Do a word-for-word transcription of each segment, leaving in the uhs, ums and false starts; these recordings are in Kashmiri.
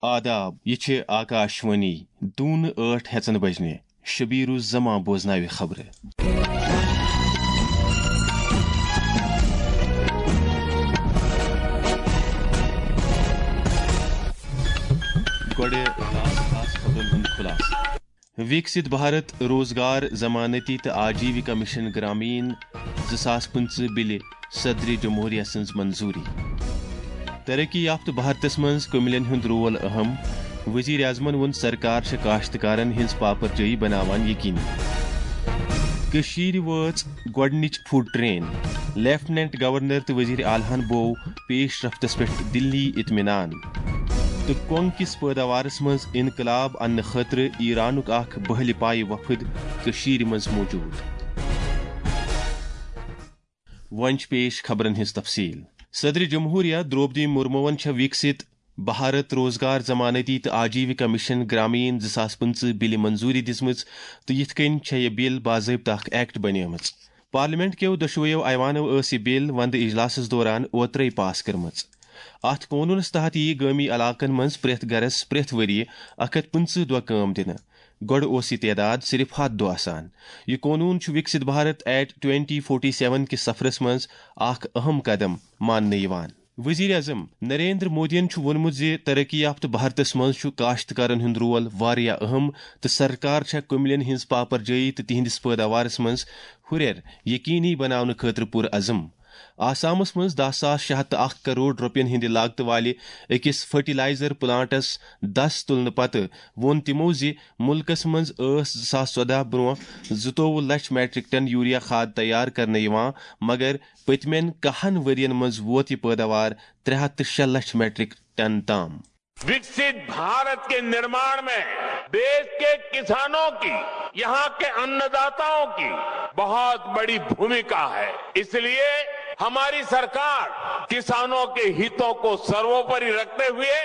آداب، یہِ چھِ آکاشوانی۔ دوٗنہٕ ٲٹھ ہٮ۪ژن بجنہِ۔ شبیر الزمان بوزناوِ خبرٕ۔ گۄڈٕ خاص خاص خبرن ہُنٛد خُلاصہٕ۔ وِکسِت بھارت روزگار ضمانتی تہٕ آجیوِکا مِشن گرامین زٕ ساس پٕنٛژٕہ بِلہِ صدرِ جمہوریہ سٕنٛز منظوٗری۔ ترقی یافتہٕ بھارتس منٛز کُمِلٮ۪ن ہُنٛد رول اہم، وزیر اعظمن ووٚن سرکار چھےٚ کاشتکارن ہٕنٛز پاپرجٲیی بناوان یقینی۔ کٔشیٖرِ وٲژ گۄڈٕنِچ فوڈ ٹرین، لیفٹیننٹ گورنر تہٕ وزیر اعلیٰ ہن بوو پیش رفتس پٮ۪ٹھ دِلی اطمینان۔ تہٕ کۄنٛگ کِس پٲداوارس منٛز انقلاب اننہٕ خٲطرٕ ایرانُک اکھ بہلہِ پایہِ وفد کٔشیٖرِ منٛز موجود۔ وۄنۍ چھِ پیش خبرن ہٕنٛز تفصیل۔ صدر جمہوریہ درٛوپدی مرموَن چھےٚ وِکسِت بھارت روزگار ضمانتی تہٕ آجیوِکا مِشن گرامین زٕ ساس پٕنٛژٕہ بِلہِ منظوٗری دِژمٕژ تہٕ یِتھ کٔنۍ چھےٚ یہِ بِل باضٲبطہٕ اکھ ایکٹ بنیمٕژ۔ پارلیمنٹ کیو دۄشوٕیو ایوانو ٲس یہِ بِل وندٕ اجلاسس دوران اوترے پاس کٔرمٕژ۔ اتھ قونوٗنس تحت یِیہِ گٲمی علاقن منٛز پرٛٮ۪تھ گرس پرٛٮ۪تھ ؤرۍ یہِ اکھ ہتھ پٕنٛژٕہ دۄہ کٲم دِنہٕ۔ گۄڈٕ اوس یہِ تعداد صرف ہتھ دۄہ آسان۔ یہِ قونوٗن چھُ Viksit Bharat at twenty forty seven کِس سفرس منٛز اکھ اہم قدم ماننہٕ یِوان۔ وزیر اعظم نریندر مودیَن چھُ ووٚنمُت زِ ترقی یافتہٕ بھارتس منٛز چھُ کاشتکارن ہُنٛد رول واریاہ اہم تہٕ سرکار چھےٚ کُمِلٮ۪ن ہٕنٛز پاپرجٲیی تہٕ تِہنٛدِس پٲداوارس منٛز ہُرٮ۪ر یقینی بناونہٕ خٲطرٕ پُر عزم۔ آسامس منٛز دَہ ساس شےٚ ہَتھ تہٕ اکھ کرور رۄپین ہٕنٛدِ لاگتہٕ والہِ أکِس فرٹیلائزر پلانٹس دَس تُلنہٕ پتہٕ ووٚن تِمو زِ مُلکس منٛز ٲس زٕ ساس ژۄدہ برونٛہہ زٕتووُہ لچھ میٹرک ٹن یوریا کھاد تیار کرنہٕ یِوان، مگر پٔتمٮ۪ن کاہن ؤرین منٛز ووت یہِ پٲداوار ترٛےٚ ہَتھ تہٕ شےٚ لچھ میٹرک ٹن تام۔ विकसित भारत के निर्माण में देश के किसानों की, यहाँ के अन्नदाताओं की बहुत बड़ी भूमिका है। इसलिए हमारी सरकार किसानों के हितों को सर्वोपरि रखते हुए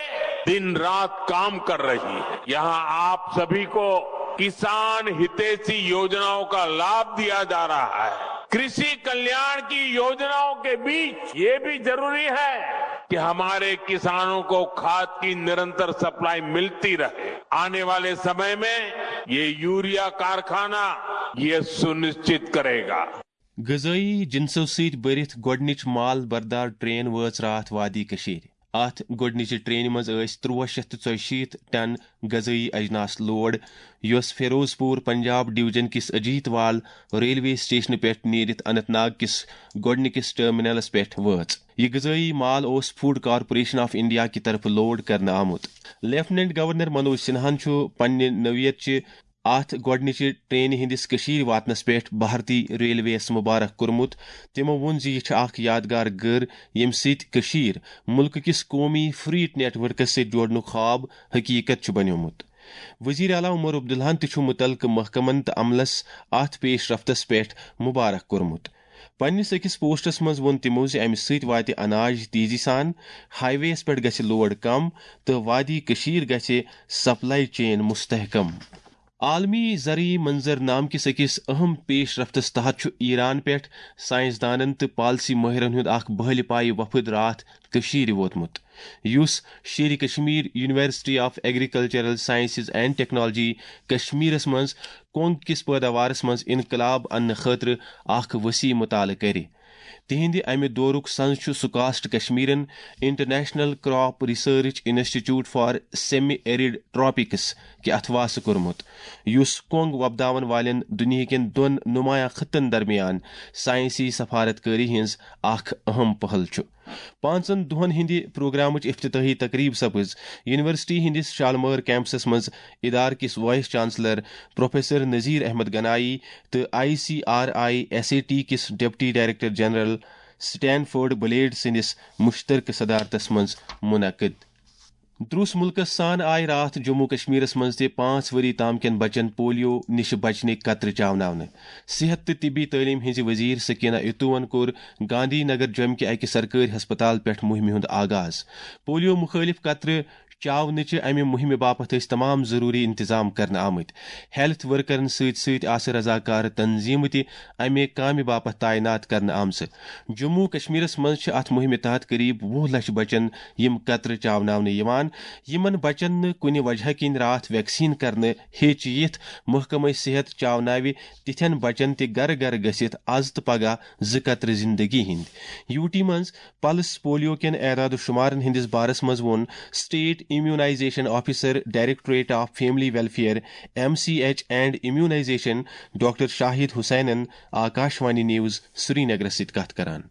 दिन रात काम कर रही है। यहाँ आप सभी को किसान हितैषी योजनाओं का लाभ दिया जा रहा है। कृषि कल्याण की योजनाओं के बीच ये भी जरूरी है कि हमारे किसानों को खाद की निरंतर सप्लाई मिलती रहे। आने वाले समय में ये यूरिया कारखाना ये सुनिश्चित करेगा। غذٲیی جنسو سۭتۍ بٔرِتھ گۄڈٕنِچ مال بردار ٹرین وٲژ راتھ وادی کٔشیٖرِ۔ اتھ گۄڈٕنِچہِ ٹرینہِ منٛز ٲسۍ ترٛوہ شیٚتھ تہٕ ژۄیہِ شیٖتھ ٹن غذٲیی اجناس لوڈ، یۄس فیروز پور پنجاب ڈویژن کِس اجیت وال ریلوے سٹیشنہٕ پٮ۪ٹھ نیٖرِتھ اننت ناگ کِس گۄڈٕنِکِس ٹرمینلس پٮ۪ٹھ وٲژ۔ یہِ غذٲیی مال اوس فوڈ کارپوریشن آف انڈیا کہِ طرفہٕ لوڈ کرنہٕ آمُت۔ لیفٹیننٹ گورنر منوج سنہاہن چھُ پننہِ نوعیت چہِ اتھ گۄڈٕنِچہِ ٹرینہِ ہٕنٛدِس کٔشیٖرِ واتنس پٮ۪ٹھ بھارتی ریلوے یَس مبارک کوٚرمُت۔ تِمو ووٚن زِ یہِ چھِ اکھ یادگار گٔر، ییٚمہِ سۭتۍ کٔشیٖر مُلکہٕ کِس قومی فریٹ نیٹ ورکس سۭتۍ جوڑنُک خواب حقیٖقت چھُ بنیومُت۔ وزیر اعلیٰ عمر عبداللہَن تہِ چھُ مُتعلقہٕ محکمن تہٕ عملس اتھ پیش رفتس پٮ۪ٹھ مبارک کوٚرمُت۔ پننِس أکِس پوسٹس منٛز ووٚن تِمو زِ امہِ سۭتۍ واتہِ اناج تیزی سان، ہائی وییَس پٮ۪ٹھ گژھِ لوڈ کم تہٕ وادی کٔشیٖر گژھِ سپلائی چین مستحکم۔ عالمی زرعی منظرنامہٕ کِس أکِس اہم پیش رفتس تحت چھُ ایران پٮ۪ٹھ سائنسدانن تہٕ پالیسی مٲہرن ہُنٛد اکھ بہلہِ پایہِ وفد راتھ کٔشیٖرِ ووتمُت، یُس Sher-e Kashmir university of agricultural sciences and technology کشمیرس منٛز کۄنٛگ کِس پٲداوارس منٛز انقلاب اننہٕ خٲطرٕ اکھ وسیع مطالعہٕ کرِ۔ تِہنٛدِ امہِ دورُک سنز چھُ سکاسٹ کشمیرن international crop research institute for semi arid tropics کہِ اتھواسہٕ کوٚرمُت، یُس کۄنٛگ وۄپداون والٮ۪ن دُنیہکٮ۪ن دۄن نمایاں خطن درمیان سائنسی سفارت کٲری ہٕنٛز اکھ اہم پہل چھُ۔ پانٛژن دۄہن ہٕنٛدِ پروگرامٕچ افتتاحی تقریب سپٕز یونیورسٹی ہٕنٛدِس شالمٲر کیمپسس منٛز ادارٕ کِس vice chancellor professor Nazir Ahmad Ganai تہٕ I C R I S A T کِس deputy director general Stanford Blade سٕنٛدِس مشترکہٕ صدارتس منٛز منعقد۔ درٛوس مُلکس سان آیہِ راتھ جموں کشمیرس منٛز تہِ پانٛژھ ؤری تام کٮ۪ن بچن پولیو نِشہِ بچنٕکۍ قطرٕ چاوناونہٕ۔ صحت تہٕ طبی تعلیٖم ہٕنٛزِ وزیر سکینہ اتوون کوٚر گاندھی نگر جوٚمہِ کہِ اَکہِ سرکٲرۍ ہسپتال پٮ۪ٹھ مُہِمہِ ہُنٛد آغاز۔ پولیو مُخٲلِف قطرٕ چاونٕچہِ امہِ مُہِمہِ باپتھ ٲسۍ تمام ضروٗری انتظام کرنہٕ آمٕتۍ۔ ہیلتھ ورکرن سۭتۍ سۭتۍ آسہٕ رضاکار تنظیمہٕ تہِ امہِ کامہِ باپتھ تعینات کرنہٕ آمژٕ۔ جموں و کشمیرس منٛز چھِ اتھ مُہِمہِ تحت قریب وُہ لچھ بچن یِم قطرٕ چاوناونہٕ یِوان۔ یِمن بچن نہٕ کُنہِ وجہہ کِنۍ راتھ ویکسیٖن کرنہٕ ہیٚچ یِتھ، محکمہ صحت چاوناوِ تِتھٮ۪ن بچن تہِ گرٕ گرٕ گٔژھِتھ از تہٕ پگاہ زٕ قطرٕ زندگی ہٕنٛدۍ۔ یوٗ ٹی منٛز پلس پولیو کٮ۪ن اعداد و شمارن ہٕنٛدِس بارس منٛز ووٚن state immunisation officer, directorate of family welfare, M C H and immunisation, doctor Shahid حسینن آکاشوانی نیوز سرینگرس سۭتۍ کتھ کران۔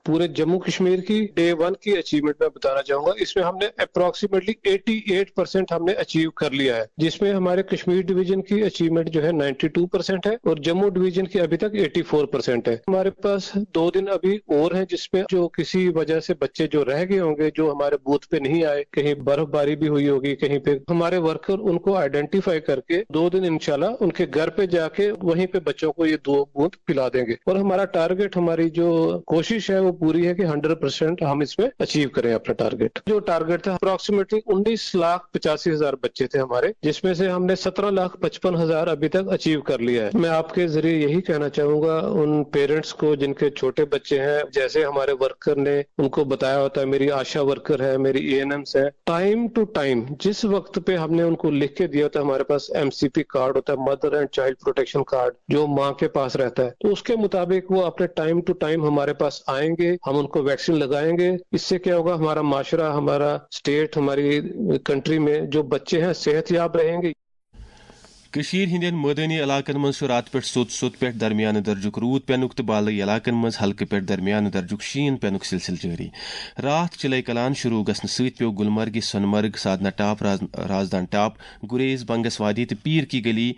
پورے جموں کشمیر کی ڈے ون کی اچیومنٹ میں بتانا چاہوں گا، اس میں ہم نے اپروکسیمیٹلی ایٹی ایٹ پرسینٹ ہم نے اچیو کر لیا ہے، جس میں ہمارے کشمیر ڈویژن کی اچیومنٹ جو ہے نائنٹی ٹو پرسینٹ ہے اور جموں ڈویژن کی ابھی تک ایٹی فور پرسینٹ ہے۔ ہمارے پاس دو دن ابھی اور ہیں، جس میں جو کسی وجہ سے بچے جو رہ گئے ہوں گے، جو ہمارے بوتھ پہ نہیں آئے، کہیں برف باری بھی ہوئی ہوگی کہیں پہ، ہمارے ورکر ان کو آئیڈینٹیفائی کر کے دو دن انشاءاللہ ان کے گھر پہ جا کے وہیں پہ بچوں کو یہ دو بوند پلا دیں گے۔ اور ہمارا ٹارگٹ، ہماری جو کوشش ہے، وہ پوری ہے کہ ہنڈریڈ پرسینٹ ہم اس میں اچیو کریں اپنا ٹارگٹ۔ جو ٹارگٹ تھا، اپروکسیمیٹلی انیس لاکھ پچاسی ہزار بچے تھے ہمارے، جس میں سے ہم نے سترہ لاکھ پچپن ہزار ابھی تک اچیو کر لیا ہے۔ میں آپ کے ذریعے یہی کہنا چاہوں گا ان پیرنٹس کو جن کے چھوٹے بچے ہیں، جیسے ہمارے ورکر نے ان کو بتایا ہوتا ہے، میری آشا ورکر ہے، میری اے این ایمس ہے، ٹائم ٹو ٹائم جس وقت پہ ہم نے ان کو لکھ کے دیا ہوتا ہے، ہمارے پاس ایم سی پی کارڈ ہوتا ہے، mother and child protection card, جو ماں کے پاس رہتا ہے، تو اس کے مطابق وہ اپنے ٹائم ٹو ٹائم ہمارے پاس آئیں گے، ہم ان کو ویکسین لگائیں گے۔ اس سے کیا ہوگا، ہمارا معاشرہ، ہمارا اسٹیٹ، ہماری کنٹری میں جو بچے ہیں صحت یاب رہیں گے۔ کشمیر ہندین مٲدٲنی علاقن منٛز چھُ راتہٕ پٮ۪ٹھ سوٚت سوٚت پٮ۪ٹھ درمیانہٕ درجُک روٗد پٮ۪نُک تہٕ بالٲیی علاقن منٛز ہلکہٕ پٮ۪ٹھ درمیانہٕ درجُک شیٖن پٮ۪نُک سلسلہٕ جٲری۔ راتھ چِلے کلان شروٗع گژھنہٕ سۭتۍ پیوٚو گلمرگہِ، سۄنہٕ مرگ، سادنا ٹاپ، راز-، رازدان ٹاپ، گریز، بنگس وادی تہٕ پیٖر کی گلی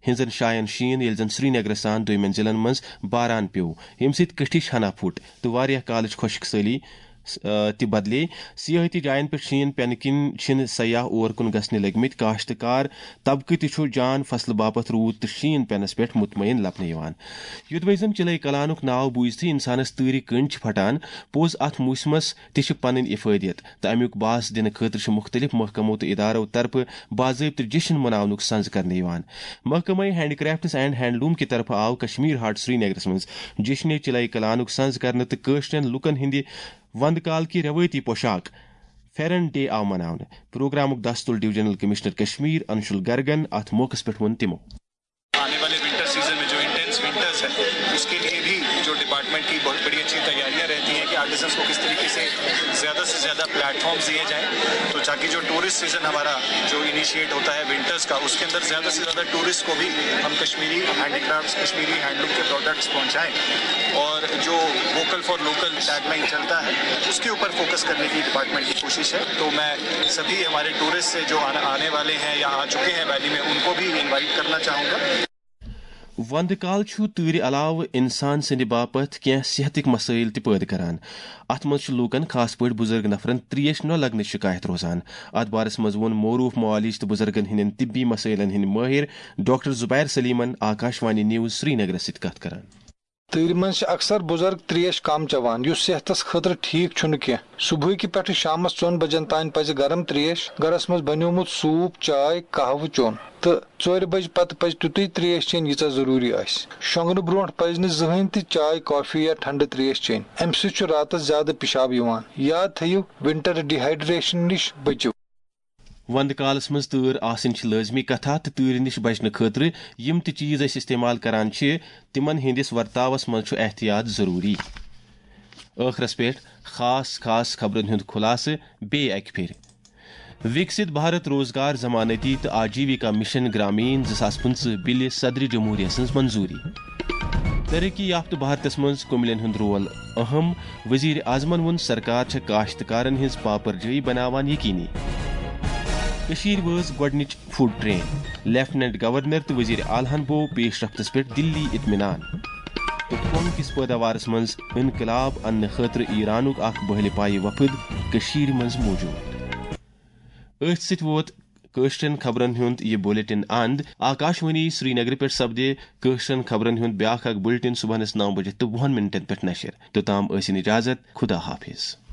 ہٕنٛزن جاین شیٖن، ییٚلہِ زن سرینگرس سان دوٚیمٮ۪ن ضلعن منٛز باران پیوٚو، ییٚمہِ سۭتۍ کٔٹھِچ ہنا پھُٹ تہٕ واریاہ کالٕچ خۄشک سٲلی، آ، تہِ بدلے۔ سیاحتی جاین پٮ۪ٹھ شیٖن پٮ۪نہٕ کِنۍ چھِنہٕ سیاح اور کُن گژھنہِ لٔگمٕتۍ۔ کاشتکار طبقہٕ تہِ چھُ جان فصلہٕ باپتھ روٗد تہٕ شیٖن پٮ۪نس پٮ۪ٹھ مطمعین لبنہٕ یِوان۔ یوٚدوَے زن چِلے کلانُک ناو بوٗزتھٕے انسانس تۭرِ کٔنڈۍ چھِ پھٹان، پوٚز اتھ موسمس تہِ چھِ پنٕنۍ افٲدیت تہٕ امیُک باس دِنہٕ خٲطرٕ چھِ مُختٔلِف محکمو تہٕ ادارو طرفہٕ باضٲبطہٕ جشن مناونُک سنز کرنہٕ یِوان۔ محکمہ ہینڈی کرافٹس اینڈ ہینڈلوم کہِ طرفہٕ آو کشمیر ہاٹ سرینگرس منٛز جشن چِلے کلانُک سنز کرنہٕ تہٕ کٲشرٮ۪ن لُکن ہٕنٛدِ وندٕ کال کہِ رٮ۪وٲیتی پوشاک پھٮ۪رن ڈے آو مناونہٕ۔ پروگرامُک دستُل ڈویژنل کمشنر کشمیر انشل گرگن۔ اتھ موقعس پٮ۪ٹھ ووٚن تِمو۔ آنے والے ونٹر سیزن میں جو انٹینس ونٹرز ہے، اس کے لیے بھی جو ڈپارٹمنٹ کی بہت بڑی اچھی تیاریاں رہتی ہیں کہ آرٹیزنس کو کس طریقے سے زیادہ سے زیادہ پلیٹ فارمز دیے جائیں، تو تاکہ جو ٹورسٹ سیزن ہمارا جو انیشیٹ ہوتا ہے ونٹرز کا، اس کے اندر زیادہ سے زیادہ ٹورسٹ کو بھی ہم Kashmiri handicrafts, Kashmiri handloom کے پروڈکٹس پہنچائیں، اور جو vocal for local tagline چلتا ہے، اس کے اوپر فوکس کرنے کی ڈپارٹمنٹ کی کوشش ہے۔ تو میں سبھی ہمارے ٹورسٹ سے جو آنا، آنے والے ہیں یا آ چکے ہیں ویلی میں، ان کو بھی انوائٹ کرنا چاہوں گا۔ وندٕ کال چھُ تۭرِ علاوٕ انسان سٕنٛدِ باپتھ کینٛہہ صحتٕکۍ مسٲیل تہِ پٲدٕ کران۔ اتھ منٛز چھُ لوٗکن، خاص پٲٹھۍ بُزرگ نفرن، تریش نہ لگنٕچ شکایت روزان۔ اتھ بارس منٛز ووٚن معروف معالج تہٕ بُزرگن ہٕنٛدٮ۪ن طبی مسٲیلن ہٕنٛدۍ مٲہر ڈاکٹر زبیر سلیمن آکاشوانی نیوز سرینگرس سۭتۍ کتھ کران۔ تۭرِ منٛز چھِ اکثر بُزرگ تریش کم چٮ۪وان، یُس صحتس خٲطرٕ ٹھیک چھُنہٕ کینٛہہ۔ صبحٕکہِ پٮ۪ٹھٕ شامس ژۄن بجن تام پزِ گرم تریش، گرس منٛز بنیومُت سوپ، چاے، قہوٕ چیوٚن۔ تہٕ ژورِ بجہِ پتہٕ پزِ تیُتُے تریش چیٚنۍ، ییٖژاہ ضروٗری آسہِ۔ شۄنٛگنہٕ برونٛٹھ پزِ نہٕ زٕہٕنۍ تہِ چاے، کافی یا ٹھنڈٕ تریش چیٚنۍ۔ امہِ سۭتۍ چھُ راتس زیادٕ پِشاب یِوان۔ یاد تھٲیِو، ونٹر ڈیہایڈریشن نِش بٔچِو۔ وندٕ کالس منٛز تۭر آسٕنۍ چھِ لٲزمی کتھا، تہٕ تۭرِ نِش بچنہٕ خٲطرٕ یِم تہِ چیز أسۍ استعمال کران چھِ، تِمن ہٕنٛدِس ورتاوس منٛز چھُ احتیاط ضروٗری۔ ٲخرس پٮ۪ٹھ خاص خاص خبرن ہُنٛد خُلاصہٕ بیٚیہِ اکہِ پھِرِ۔ وِکسِت بھارت روزگار ضمانتی تہٕ آجیوِکا مِشن گرٛامیٖن زٕ ساس پٕنٛژٕہ بِلہِ صدرِ جمہوٗریہ سٕنٛز منظوٗری۔ ترقی یافتہٕ بھارتس منٛز کُمِلٮ۪ن ہُنٛد رول اہم، وزیر اعظمن ووٚن، سرکار چھےٚ کاشتکارن ہٕنٛز پاپرجٲیی بناوان یقینی۔ کٔشیٖرِ وٲژ گۄڈٕنِچ فوڈ ٹرین، لیفٹیننٹ گورنر تہٕ وزیر اعلیٰ ہن بوو پیش رفتس پٮ۪ٹھ دِلی اطمینان۔ تہٕ کۄنگ کِس پٲداوارس منٛز انقلاب اننہٕ خٲطرٕ ایرانُک اکھ بٔہلہِ پایہِ وفد کٔشیٖرِ منٛز موجود۔ أتھۍ سۭتۍ ووت کٲشرٮ۪ن خبرن ہُنٛد یہِ بُلٹن اند۔ آکاشوانی سرینگرٕ پٮ۪ٹھ سپدِ کٲشرٮ۪ن خبرن ہُنٛد بیٛاکھ اکھ بُلٹن صبحنس نو بجے تہٕ وُہن منٹن پٮ۪ٹھ نشر۔ توٚتام ٲسِن اجازت، خدا حافظ۔